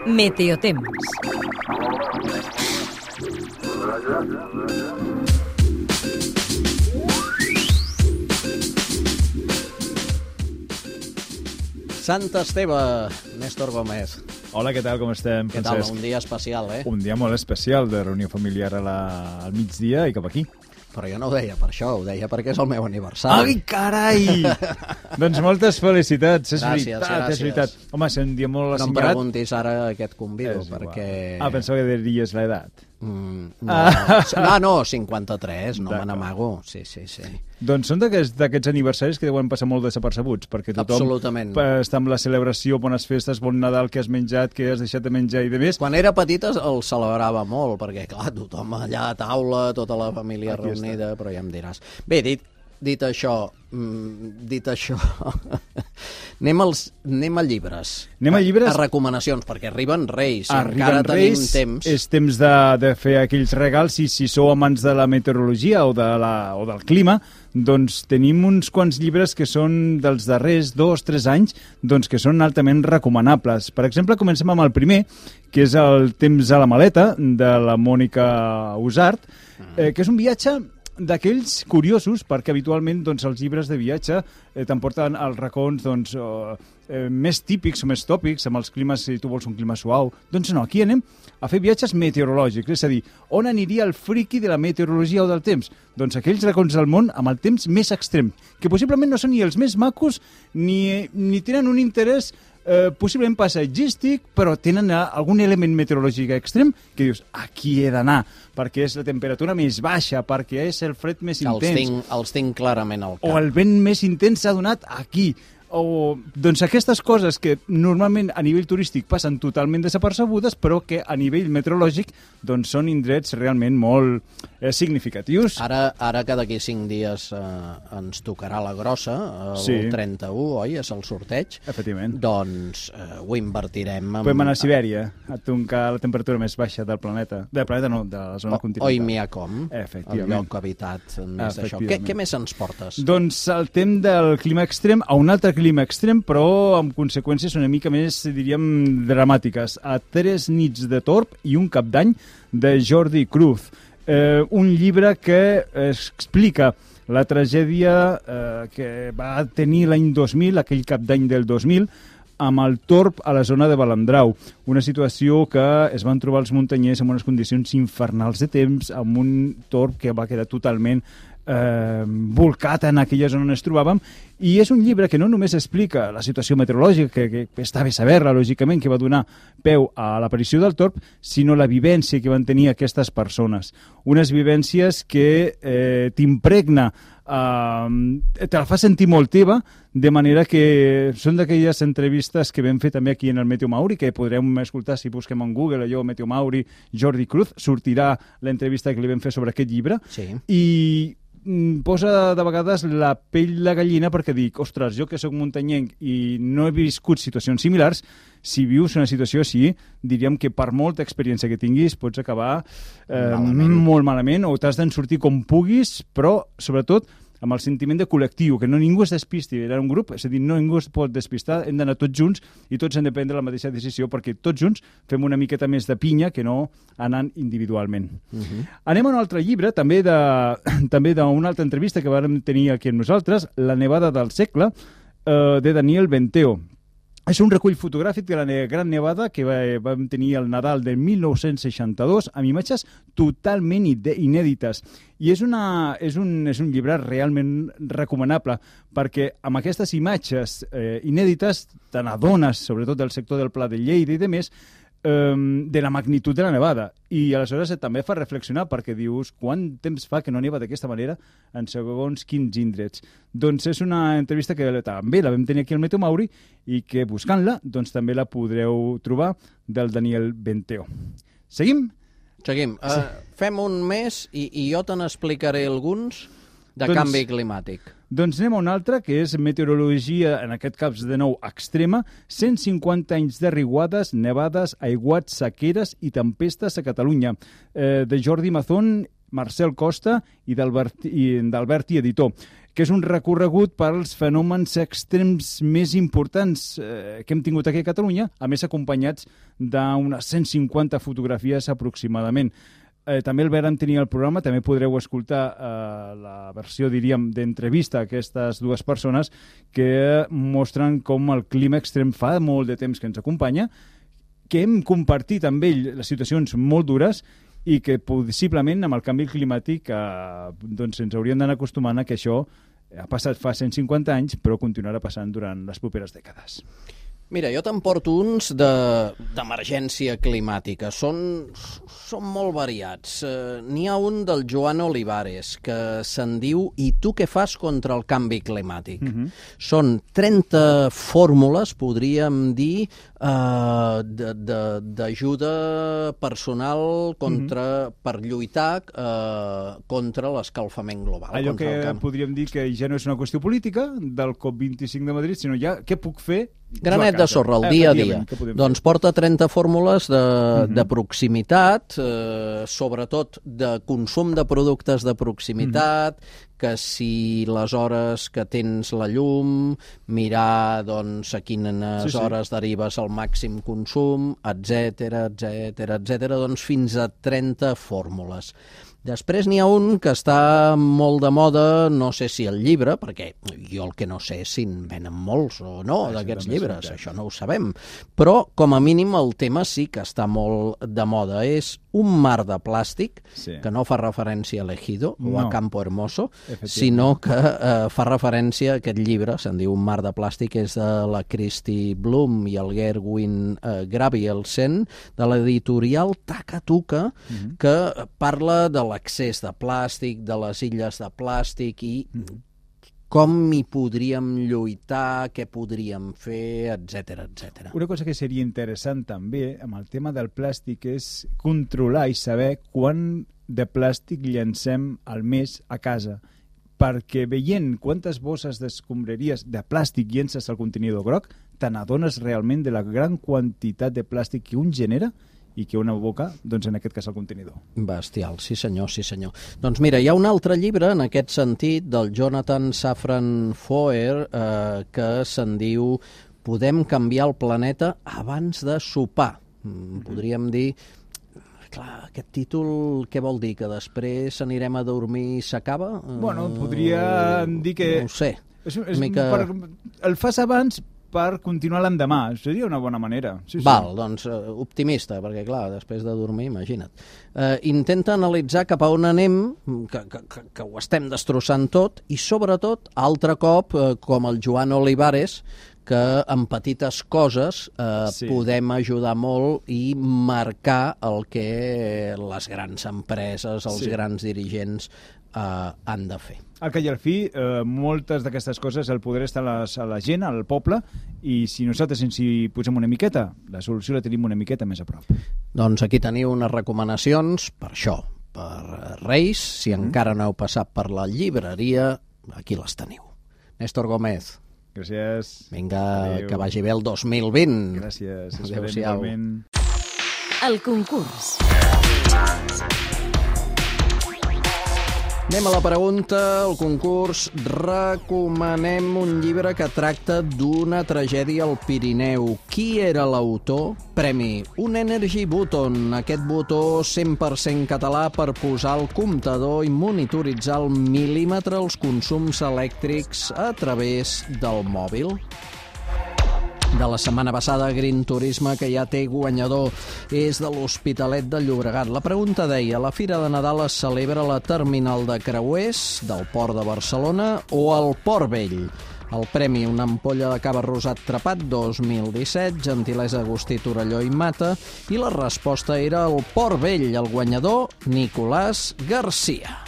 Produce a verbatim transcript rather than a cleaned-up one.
Meteotemps. Sant Esteve, Néstor Gómez. Hola, què tal, com estem, Què Francesc? tal? Un dia especial, eh? Un dia molt especial de reunió familiar a la... al migdia i cap aquí. Però jo no ho deia per això, ho deia perquè és el meu aniversari. Ai, carai! Doncs moltes felicitats, és Gràcies, veritat, gràcies. és veritat. Home, és un dia molt No em assenyalat. preguntis ara a què et convido, És igual. perquè... Ah, pensava que diries l'edat. Mm, no. Ah, no, cinquanta-tres, no me D'acord. n'amago. Sí, sí, sí. Doncs són d'aquests d'aquests aniversaris que deuen passar molt desapercebuts, perquè tothom Absolutament. pa- està amb la celebració, bones festes, bon Nadal, que has menjat, que has deixat de menjar i de més. Quan era petita el celebrava molt, perquè, clar, tothom allà a taula, tota la família Aquí reunida, però ja em diràs. Bé, dit, dit això, mm, dit això, anem, als, anem a llibres. Anem a llibres? A recomanacions, perquè arriben Reis, i Arriben encara tenim Reis, temps. és temps de, de fer aquells regals, i si sou amants de la meteorologia o, de la, o del clima, doncs tenim uns quants llibres que són dels darrers dos, tres anys, doncs que són altament recomanables. Per exemple, comencem amb el primer, que és el Temps a la maleta, de la Mònica Usart, eh, que és un viatge d'aquells curiosos, perquè habitualment doncs, els llibres de viatge eh, t'emporten als racons doncs, eh, eh, més típics o més tòpics, amb els climes, si tu vols un clima suau. Doncs no, aquí anem a fer viatges meteorològics, és a dir, on aniria el friqui de la meteorologia o del temps? Doncs aquells racons del món amb el temps més extrem, que possiblement no són ni els més macos ni, ni tenen un interès Eh, possiblement paisatgístic, però tenen eh, algun element meteorològic extrem que dius, aquí he d'anar, perquè és la temperatura més baixa, perquè és el fred més Els intens, tinc, els tinc clarament al cap. o el vent més intens s'ha donat aquí. O, doncs aquestes coses que normalment a nivell turístic passen totalment desapercebudes, però que a nivell meteorològic doncs són indrets realment molt eh, significatius. Ara, ara que d'aquí cinc dies eh, ens tocarà la grossa, el Sí. trenta-u, oi? És el sorteig. Efectivament. Doncs eh, ho invertirem en... Podem anar a Sibèria, a tocar la temperatura més baixa del planeta. Del planeta no, de la zona O, continental. Oimiacom, el Efectivament. lloc habitat més d'això. Què, Efectivament. què més ens portes? Doncs saltem del clima extrem a un altre clima extrem, però amb conseqüències una mica més, diríem, dramàtiques. A Tres nits de torb i un cap d'any, de Jordi Cruz. Eh, un llibre que explica la tragèdia eh, que va tenir l'any dos mil, aquell cap d'any del dos mil, amb el torb a la zona de Balandrau. Una situació que es van trobar els muntanyers en unes condicions infernals de temps, amb un torb que va quedar totalment eh, volcat en aquella zona on es trobàvem, i és un llibre que no només explica la situació meteorològica, que, que està bé saber-la, lògicament, que va donar peu a l'aparició del torb, sinó la vivència que van tenir aquestes persones. Unes vivències que eh, t'impregna, eh, te la fa sentir molt teva, de manera que són d'aquelles entrevistes que vam fer també aquí en el Meteo Mauri, que podrem escoltar si busquem en Google, allò, Meteo Mauri, Jordi Cruz, sortirà l'entrevista que li vam fer sobre aquest llibre, Sí. i mm, posa de vegades la pell de gallina, perquè dic, ostres, jo que sóc muntanyenc i no he viscut situacions similars, si vius una situació així, diríem que per molta experiència que tinguis pots acabar eh, Malament. molt malament, o t'has d'en sortir com puguis, però sobretot amb el sentiment de col·lectiu, que no ningú es despisti, era un grup, és a dir, no ningú es pot despistar, hem d'anar tots junts i tots hem de prendre la mateixa decisió, perquè tots junts fem una miqueta més de pinya que no anant individualment. Uh -huh. Anem a un altre llibre, també de també d'una altra entrevista que vam tenir aquí amb nosaltres, La nevada del segle, eh, de Daniel Benteo. És un recull fotogràfic de la ne Gran Nevada que va, vam tenir el Nadal del mil nou-cents seixanta-dos, amb imatges totalment inèdites. I és, una, és, un, és un llibre realment recomanable, perquè amb aquestes imatges eh, inèdites te n'adones, sobretot del sector del Pla de Lleida i de més, de la magnitud de la nevada, i aleshores també fa reflexionar, perquè dius quant temps fa que no neva d'aquesta manera en segons quins indrets. Doncs és una entrevista que també la vam tenir aquí al Meteo Mauri i que buscant-la doncs també la podreu trobar, del Daniel Benteo. Seguim? Seguim. Uh, Sí. Fem un mes i, i jo te n'explicaré alguns de Doncs- canvi climàtic. Doncs anem a un altre, que és meteorologia, en aquest cas de nou extrema, cent cinquanta anys de riuades, nevades, aiguats, sequeres i tempestes a Catalunya, eh, de Jordi Mazón, Marcel Costa i d'Alberti, editor. que és un recorregut pels fenòmens extrems més importants eh, que hem tingut aquí a Catalunya, a més acompanyats d'unes cent cinquanta fotografies aproximadament. Eh, també el vàrem tenir al programa, també podreu escoltar eh, la versió, diríem, d'entrevista a aquestes dues persones que mostren com el clima extrem fa molt de temps que ens acompanya, que hem compartit amb ell les situacions molt dures i que possiblement amb el canvi climàtic eh, doncs ens hauríem d'anar acostumant a que això ha passat fa cent cinquanta anys, però continuarà passant durant les properes dècades. Mira, jo te'n porto uns d'emergència de, climàtica. Són, són molt variats. Uh, N'hi ha un del Joan Olivares que se'n diu "I tu què fas contra el canvi climàtic?". Mm-hmm. Són trenta fórmules, podríem dir, uh, d'ajuda personal contra, mm-hmm. per lluitar uh, contra l'escalfament global. Allò que camp... podríem dir que ja no és una qüestió política del COP vint-i-cinc de Madrid, sinó ja què puc fer granet de sorra, el dia a dia. Doncs porta trenta fórmules de, uh-huh. de proximitat, eh, sobretot de consum de productes de proximitat, uh-huh. que si les hores que tens la llum, mirar doncs, a quines sí, sí. hores derives el màxim consum, etcètera, etcètera, etcètera, doncs fins a trenta fórmules. Després n'hi ha un que està molt de moda, no sé si el llibre, perquè jo el que no sé és si en venen molts o no d'aquests llibres, això no ho sabem, però com a mínim el tema sí que està molt de moda. És un mar de plàstic, sí. que no fa referència a l'Ejido no. o a Campo Hermoso, sinó que eh, fa referència a aquest llibre, se'n diu Un mar de plàstic, és de la Christy Bloom i el Gerwin eh, Gabrielsen, de l'editorial Takatuka, uh-huh. que parla de l'accés de plàstic, de les illes de plàstic i com hi podríem lluitar, què podríem fer, etcètera, etcètera. Una cosa que seria interessant també amb el tema del plàstic és controlar i saber quant de plàstic llancem al mes a casa, perquè veient quantes bosses d'escombraries de plàstic llences al contenidor groc, te n'adones realment de la gran quantitat de plàstic que un genera i que una boca, doncs en aquest cas el contenidor. Bestial, sí senyor, sí senyor. Doncs mira, hi ha un altre llibre en aquest sentit del Jonathan Safran Foer eh, que se'n diu Podem canviar el planeta abans de sopar. Mm, podríem dir, clar, aquest títol què vol dir? Que després anirem a dormir i s'acaba? Bueno, podria dir que... No ho sé. És, és mica... per, el fas abans per continuar l'endemà. Seria una bona manera. Sí, sí. Val, doncs uh, optimista, perquè clar, després de dormir, imagina't. Uh, intenta analitzar cap a on anem, que, que, que, que ho estem destrossant tot, i sobretot, altre cop, uh, com el Joan Olivares, que amb petites coses eh, sí. podem ajudar molt i marcar el que les grans empreses, els sí. grans dirigents eh, han de fer. Al cap i al fi, eh, moltes d'aquestes coses el poder està a, les, a la gent, al poble, i si nosaltres ens hi posem una miqueta, la solució la tenim una miqueta més a prop. Doncs aquí teniu unes recomanacions per això, per Reis. Si mm. encara no heu passat per la llibreria, aquí les teniu. Néstor Gómez. Gràcies. Vinga, adéu. Que vagi bé el dos mil vint. Gràcies. Adéu-siau. El concurs. Anem a la pregunta, el concurs. Recomanem un llibre que tracta d'una tragèdia al Pirineu. Qui era l'autor? Premi un Energy Button, aquest botó cent per cent català per posar al comptador i monitoritzar al mil·límetre els consums elèctrics a través del mòbil. De la setmana passada, Green Turisme, que ja té guanyador, és de l'Hospitalet de Llobregat. La pregunta deia, la Fira de Nadal es celebra a la terminal de creuers del Port de Barcelona o al Port Vell? El premi, una ampolla de cava rosat trepat dos mil disset, gentilesa Agustí Torelló i Mata, i la resposta era el Port Vell, el guanyador Nicolàs Garcia.